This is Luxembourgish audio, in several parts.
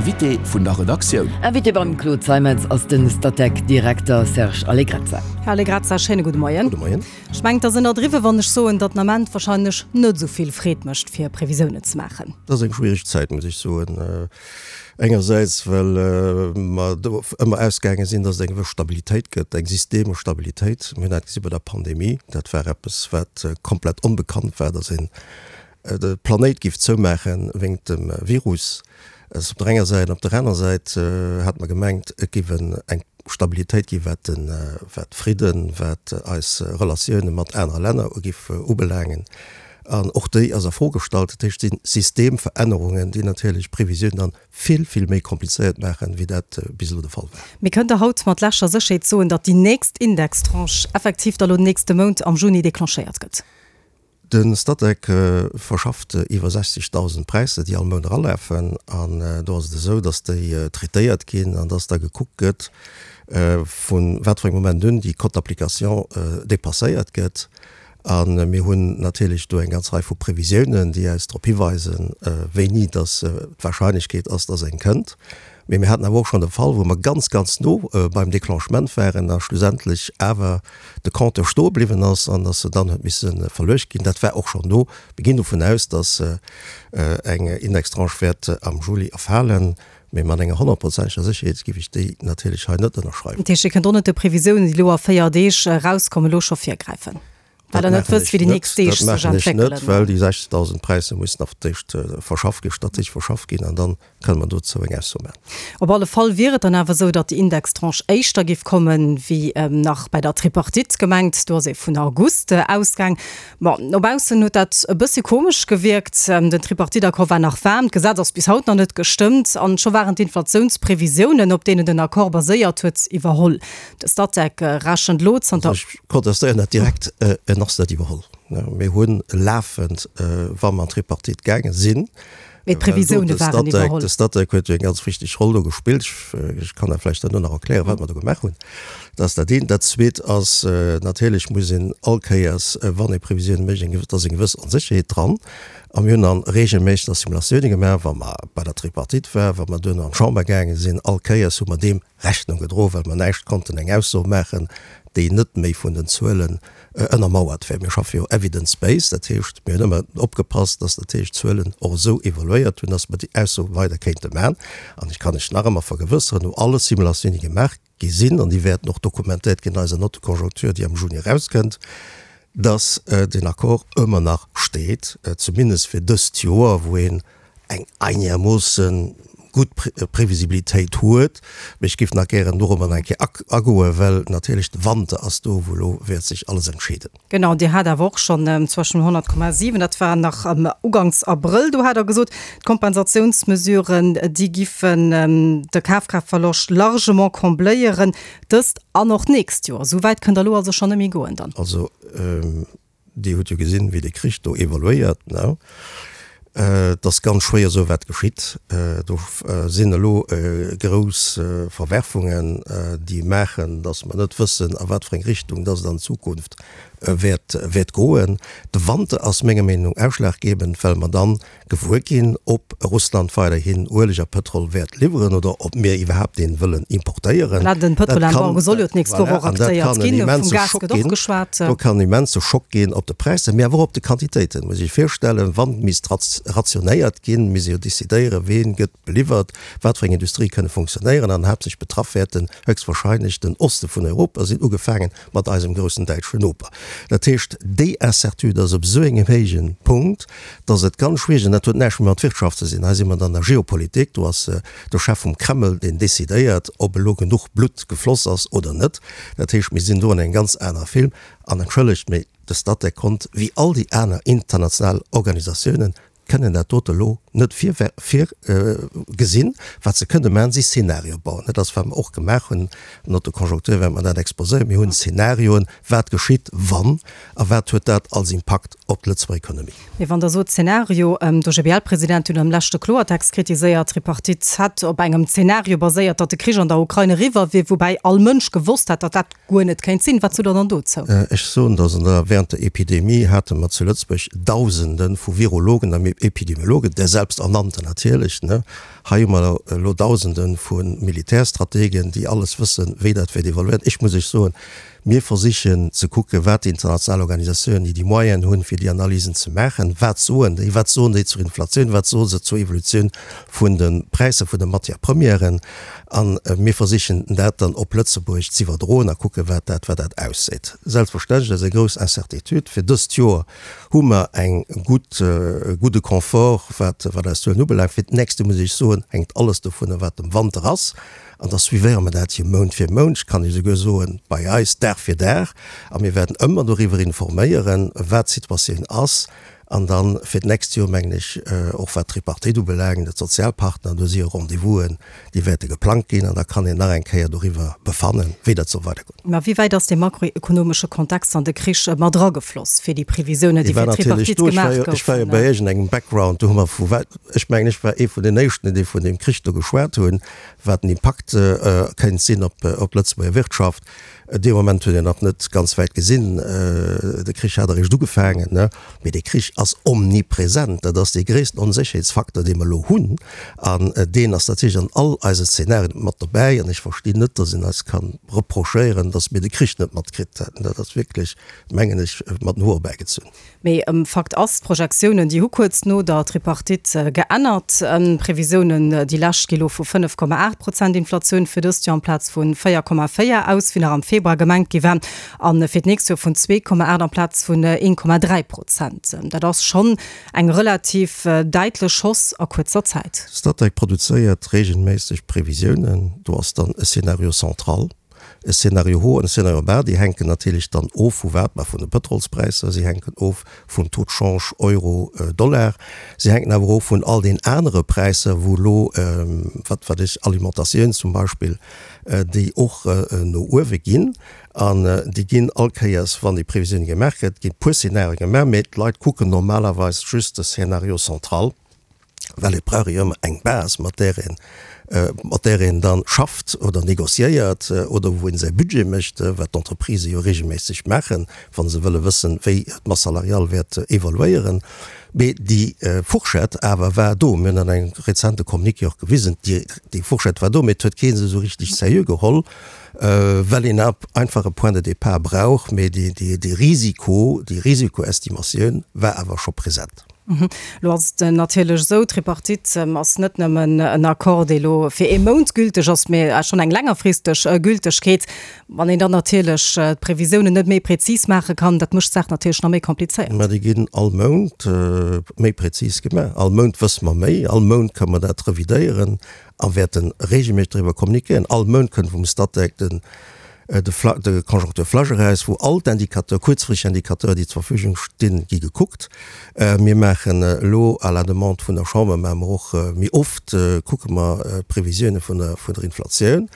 Invité vun der Redaktioun. Invité beim Claude Zeimetz ass de Statec-Direkter Serge Allegrezza. Här Allegrezza, schéine gudde Moien. Gudde Moien. Ech mengen, et ass ënnerdriwwen, wann ech soen, datt den Ament wahrscheinlech net esou vill Freed mécht, fir Previsiounen ze maachen. Et ass eng schwiereg Zäit, muss ech soen. Engersäits, well mer do ëmmer ausgaange sinn, datt et eng gewëss Stabilitéit gëtt, eng systemesch Stabilitéit. Mir hunn dat gesi bei der Pandemie, dat war eppes, wat komplett onbekannt war, datt een de Planéit giff zoumaache wéingt dem Virus. Dat ass op der enger Säit. Op der aner Säit hat mer gemengt, et giff eng Stabilitéit ginn, wat de wat Fridden, wat eis Relatioune mat anere Länner giff ubelaangen. An och déi ass a Fro gestallt. Dat heescht, et si Systemverännerungen, déi natierlech d'Previsiounen dann vill, vill méi komplizéiert maachen, wéi dat bis elo de Fall war. Mee kënnt Der haut mat lescher Sécherheet soen, datt déi nächst Indextranche effektiv da lo den nächste Mount am Juni declenchéiert gëtt? De Statec verschafft iwwer 60.000 Präisser, déi all Mount eralafen. An do ass et esou, datt déi traitéiert ginn an datt da gekuckt gëtt, vu wat fir engem Moment un déi Cote d'application dépasséiert gëtt. A mir hunn natierlech do eng ganz Rei vu Previsiounen, déi eis drop hiweisen, wéini datt d'Wahrscheinlechkeet ass, datt eng kënnt. Mee mir haten awer och schonn de Fall, wou mer ganz, ganz no beim Déclenchement waren a schlussendlech awer de Compteur stoe bliwwen ass an dass se dann huet misse verluecht ginn. Dat war och schonn do. Mir ginn dovun aus, dass eng Indextranche wäert am Juli erfalen, mee mat enger honnertprozenteger Sécherheet géif ech déi natierlech hei net ënnerschreiwen. Dat heescht, Dir kënnt och net de Previsiounen, déi elo a 4 Deeg erauskommen, elo scho virgräifen, well Der net wësst, wéi déi nächst Deeg sech entwéckelen? Dat maachen ech net, well déi 60.000 Präisser mussen auf d'éischt verschafft ginn, strategesch verschafft ginn an dann Kënne mer dozou eng Ausso maachen? Op alle Fall wier et dann awer esou, datt déi Indextranche éischter géif kommen, wéi nach bei der Tripartite gemengt. Do ass ee vun August ausgaang. Bon, no baussen huet dat e bëssi komesch gewierkt. Den Tripartite-Accord war nach waarm, d'Gesetz ass bis haut nach net gestëmmt an scho waren d'Inflatiounsprevisiounen, op deenen den Accord baséiert huet, iwwerholl. De Statec rechent elo zanter. Also ech protestéieren dat direkt, en ass net iwwerholl. Mir hu lafend, wa mer an d'Tripartite gaange sinn, Mee d'Previsioune waren iwwerholl. De Statec huet jo eng ganz wichteg Roll do gespillt. Ech kann dat vläicht herno nach erklären, wat mer do gemaach hunn. Dat ass dat eent. Dat zweet ass, natierlech muss een all Kéiers, wann ee Previsioune mécht, eng, et ass eng gewëss Onsécherheet dran. A mir hunn dann reegelméisseg da Simulatioune gemaach, wa mer bei der Tripartite waren, wa mer duerno an d'Chamber gaange sinn. All Kéiers hu mer deem Rechnung gedroen, well mer näischt konnten eng Ausso maachen, déi net méi vun den Zuelen ënnermauert wär. Mir schaffe jo evidence-based, dat heescht, mir hunn ëmmer opgepasst, dass natierlech d'Zuelen och esou evoluéiert hunn, dass mer déi Ausso weider kéinte maachen. An ech kann lech nach ëmmer vergewësseren, no alle Simulatiounen, déi gemaach gi sinn, an déi wäerten och dokumentéiert ginn an eiser Note de conjoncture, déi am Juni erauskënnt, dass deen Accord ëmmer nach steet, zumindest fir dëst Joer, wou een eng einermoosse gutt Previsibilitéit huet. Mee ech géif nach gären dorobber nach eng Kéier agoen, well natierlech de Wanter ass do, wou elo wäert sech alles entscheeden. Genau, Dir hat awer och schonn zwëschen 100,7, dat war nach uganks Abrëll, do hat Der gesot, d'Kompensatiounsmesuren, déi giffen de Kafkraaftverloscht largement combléieren, dëst an och d'nächst Joer. Esou wäit kënnt Der elo also schonn net méi goen dann? Also Dir hutt jo gesinn, wéi de Krich do evoluéiert. Et ass ganz schwéier esou wat geschitt. Do sinn elo grouss Verwerfungen, déi maachen, datt mer net wëssen, a wat fir eng Richtung datt et an Zukunft wäert goen. De Wanter ass menger Meenung no ausschlaggebend, well mer dann gewuer ginn, ob Russland weiderhin Ueleg a Pëtrol wäert liwweren oder ob mir iwwerhaapt deen wëllen importéieren. Voilà, den Pëtrolembargo soll jo d'nächst Woch och aktéiert ginn, vum Gas gëtt och geschwat. Do kann en immense Schock ginn op de Präisser, mee awer och op de Quantitéiten. Muss ee sech virstellen, wann misst rationéiert ginn, misst ee jo decidéieren, ween gëtt beliwwert, wat fir eng Industrie kënne funktionéieren an haaptsächlech betraff wäerten höchstwahrscheinlech den Oste vun Europa sinn, ugefaangen mat eisem groussen däitschen Noper. Dat heescht, déi Incertitude ass op esou engem héijen Punkt, dass et ganz schwiereg, an dat huet näischt méi mat Wirtschaft ze sinn, hei si mer dann an der Geopolitik, do ass de Chef vum Kreml, deen decidéiert, ob elo genuch Blutt gefloss ass oder net. Dat heescht, mir sinn do an engem ganz anere Film. An entschëllegt, mee de Statec konnt, wéi all déi aner international Organisatiounen, kënnen dat dote elo net virgesinn. Wat se kënne maachen, si Szenarioe bauen. Dat ass, wat mer och gemaach hunn. No der Konjunktur wäerte mer dat exposéieren. Mir hunn Szenarioen, wat geschitt, wann, a wat huet dat als Impakt op d'Lëtzebuerger Economie. Mee wann Der sot Szenario, d'OGBL-President huet am leschte Kloertext kritiséiert, d'Tripartite hätt op engem Szenario baséiert, datt de Krich an der Ukrain eriwwer wier, woubäi all Mënsch gewosst hätt, datt dat guer net kéint sinn. Wat sot Der dann dozou? Ech soen, dass an der, während der Epidemie hate mer zu Lëtzebuerg Dausende vu Virologen a. Epidemiologen, der selbsternannten natierlech, ne? Hei hu mer elo Dausende vu Militärstrategen, déi alles wëssen, wéi dat wäert evoluéieren. Ech muss Iech soen, mir versichen ze kucken, wat déi international Organisatiounen, déi déi Moyenen hunn, fir déi Analysen ze maachen, wat soen déi? Wat soen déi zur Inflatioun? Wat soe se zur Evolutioun vun de Präisser vun de Matière-premièren? A mir versichen dat dann op Lëtzebuerg z'iwwerdroen a kucken, wat dat, wat dat ausseet. Selbstverständlech ass eng grouss Incertitude fir dëst Joer. hu mer eng gutt, e gudde Confort, wat, wat eis Zuelen ubelaangt. Fir d'nächst Joer, muss ech soen, hänkt alles dovunner, wat dem Wanter ass. An da suivéiere mer dat hier Mount fir Mount, ech kann Iech esouguer soen, bei eis Dag fir Dag. A mir wäerten ëmmer doriwwer informéieren, wat d'Situatioun ass. An dann fir d'nächst Joer, mengen ech, och wat d'Tripartite ubelaangt, d'Sozialpartner, do si jo Rendez-vousen, déi wäerte geplangt ginn. An da kann een nach eng Kéier doriwwer befannen, wéi dat soll weidergoen. Mä wéi wäit ass dee makroekonomesche Kontext an de Krich mat eragefloss fir déi Previsiounen, déi fir d'Tripartite gemaach goufen? Ech war jo bei iergendengem Background, do hu mer vu, ech mengen, ech war ee vun den éischten, déi vun deem Krich do geschwat hunn, wat den Impakt kéint sinn op d'Lëtzebuerger Wirtschaft. Dee Moment huet een nach net ganz wäit gesinn, de Krich hat eréischt ugefaangen. Mee dee Krich ass omnipresent, dat ass dee gréissten Onsécherheetsfaktor, dee mer elo hunn. An deen ass natierlech an all eise Szenarien mat dobäi. An ech verstinn net, datt een eis ka reprochéieren, datt mir de Krich net matkritt hätten. Dat ass wierklech, mengen ech, mat den Hoer erbäigezunn. Mee Fakt ass, d'Projektiounen, déi hu kuerz no der Tripartite geännert. D'Previsiounen, déi lescht, gi lo vu 5,8 Prozent Inflatioun fir dëst Joer amplaz vu 4,4 aus, wéi nach am Februar gemengt gi war, a fir d'nächst Joer vun 2,8 amplaz vun 1,3 Prozent. Dat ass schonn Eng relativ däitlech Hausse a kuerzer Zäit. Statec produzéiert reegelméisseg Previsiounen. Do ass dann e Scénario central, e Scénario haut an e Scénario bas. Déi hänken natierlech dann of vu wat? Ma vun de Pëtrolspräisser, si hänken of vum Taux de change Euro-Dollar, si hänken awer of vun all den anere Präisser, wou elo, wat wat ech, Alimentatioun zum Beispill, déi och no uewe ginn. An déi ginn all Kéiers, wann déi Previsioun gemaach gëtt, ginn puer Szenarioe gemaach, mee d'Leit kucken normalerweis just de Scénario central, well et brauch ee jo ëmmer eng Base, mat där een, mat där een da schafft oder négociéiert oder wou een säi Budget mécht, wat d'Entreprisë jo regelméisseg maachen, wa se wëlle wëssen, wéi d'Masse salariale wäert evoluéieren. Mee déi Fourchette awer war do. Mir hunn an engem rezente Communiqué och gewisen, déi Fourchette war do, mee et huet kee se esou richtig seriö geholl. Well een einfach e Point de départ brauch, mee dee Risiko, déi Risikoestimatioun war awer scho present. Elo ass et natierlech esou, d'Tripartite ass net nëmmen en Accord, dee elo fir ee Mount gülteg ass, mee schonn eng längerfristeg Gültegkeet. Wann een dann natierlech d'Previsiounen net méi prezis maache kann, dat mécht d'Saach natierlech nach méi komplizéiert. Mä déi ginn all Mount méi prezis gemaach. All Mount wësse mer méi, all Mount kënne mer dat revidéieren. a wäerte regelméisseg doriwwer kommunikéieren. All Mount kënnt vum Statec den de Conjoncture-Flash eraus, wou all d'Indicateur, kuerzfristeg Indicateur, déi zur Verfügung stinn, gi gekuckt. Mir maachen elo à la demande vun der Chamber maache mer och méi oft, kucke mer d'Previsioune vun der vun der Inflatioun.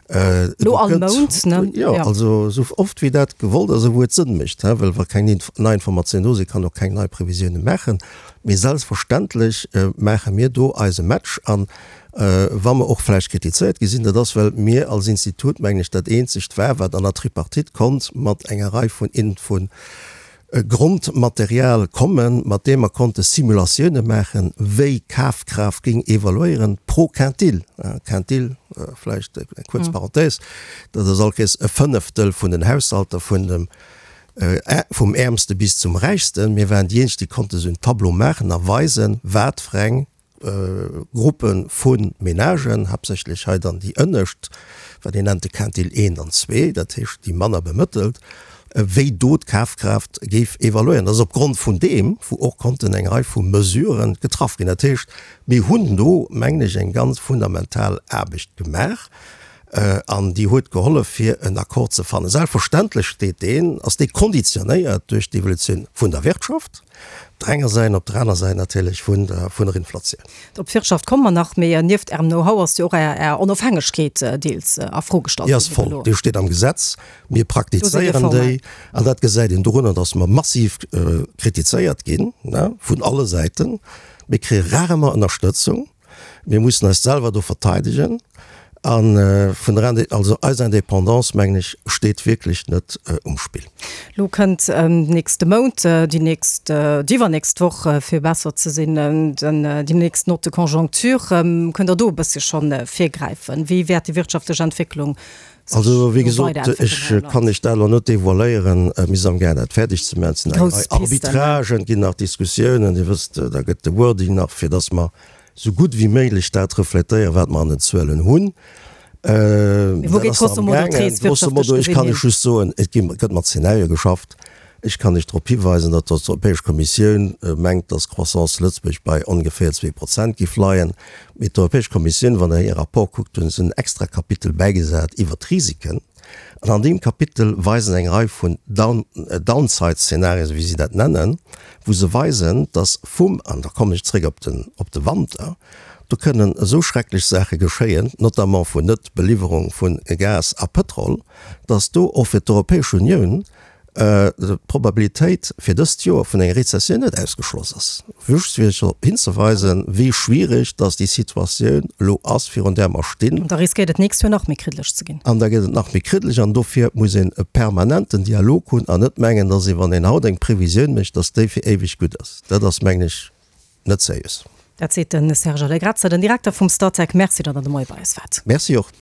Elo all Mount, ne? Jo, also esou oft wéi dat gewollt ass a wou et Sënn mécht, well wa keng nei Informatioun do sinn, kann och keng nei Previsioune maachen. Mee selbstverständlech maache mir do eise Match. An wa mer och vläicht kritizéiert gi sinn, dat ass, well mir als Institut, mengen ech, dat eenzegt war, wat an der Tripartite konnt mat enger Rei vun Grondmaterial kommen, mat deem mer konnte Simulatioune maachen, wéi Kafkraaft géing evaluéieren pro Quintil. Quintil, vläicht eng kuerz Parenthèse, dat ass all Kéiers e Fënneftel vun den Haushalter vun dem vum Äermste bis zum Räichsten. Mir waren déi eenzeg, déi konnte sou en Tableau maachen a weisen, wat fir eng Gruppe vu Menagen, haaptsächlech hei dann déi ënnescht, wat een nennt de Quintil eent an zwee, dat heescht déi manner bemëttelt, wéi do d'Kafkraaft géif evaluéieren. Dat ass opgrond vun deem, wou och konnten eng Rei vu Mesuren getraff ginn. Dat heescht, mir hunn do, mengen ech, eng ganz fundamental Aarbecht gemaach. An déi huet gehollef, fir en Accord ze fannen. Selbstverständlech steet deen, ass dee konditionéiert duerch d'Evolutioun vun der Wirtschaft op der enger Säit an op der aner Säit natierlech vun der, vun der Inflatioun. Op d'Wirtschaft komme mer nach, mee nieft Ärem Know-how ass jo och Är, Är Onofhängegkeet deels a Fro gestallt Déi ass ginn voll, déi steet am Gesetz. Mir praktizéieren déi an dat gesäit een dorunner, datt mer massiv kritizéiert ginn, ne, vun alle Säiten. Mir kréie rarement Ënnerstëtzung. Mir mussen eis selwer do verteidegen. A vun der Indé, also eis Indépendance, mengen ech, steet wierklech net um Spill. Lo kënnt nächste Mount, déi nächst, déi iwwernächst Woch, fir besser ze sinn, den, déi nächst Note de conjoncture. Kënnt Der do e bëssche schonn virgräifen? Wéi wäert déi wirtschaftlech Entwécklung sech Also, wéi do gesot, weiderentwéckelen ech hei am Land? kann lech dat elo net devoiléieren. Mir si amgaang, dat fäerdeg ze maachen. Et sinn Déi eng grouss Rei Pisten. Arbitragen, et ginn nach Diskussiounen. Dir wësst, da gëtt de Wording nach, fir datt mer sou gutt wéi méiglech dat refletéieren, wat mer an den Zuelen hunn. Mee wou geet grosso modo d'Rees Grosso wirtschaftlech modo, ech gesinn kann hin? lech just soen, et gi, gëtt mat Zenarie geschafft. Ech kann lech drop hiweisen, datt d'Europäesch Kommissioun mengt, datt d'Croissance zu Lëtzebuerg bei ongeféier 2% géif leien. Mee d'Europäesch Kommissioun, wann Der hir Rapport kuckt, hunn se en extra Kapitel bäigesat iwwert d'Risiken. An an deem Kapitel weisen eng Rei vun Downside-Szenarien, esou wéi si dat nennen, wou se weisen, dass vum, an da kommen ech zréck op den, op de Wanter, do kënnen esou schrecklech Saache geschéien, notamment vun Net-Beliwwerung vu Gas a Pëtrol, dass do och fir d'Europäesch Unioun d'Probabilitéit fir dëst Joer vun enger Rezessioun net ausgeschloss ass. Just fir drop hinzeweisen, wéi schwierig dass déi Situatioun elo ass, virun där mer stinn. An da riskéiert et d'nächst Joer nach méi kriddeleg ze ginn. An da gëtt et nach méi kriddeleg. An dofir muss een e permanenten Dialog hunn an net mengen, dass ee, wann een haut eng Previsioun mécht, dass déi fir éiweg gutt ass. Dat ass, mengen ech, net seriös. Dat seet de Serge Allegrezza, den Direkter vum Statec. Merci, datt Der de Moie bei eis waart. Merci och.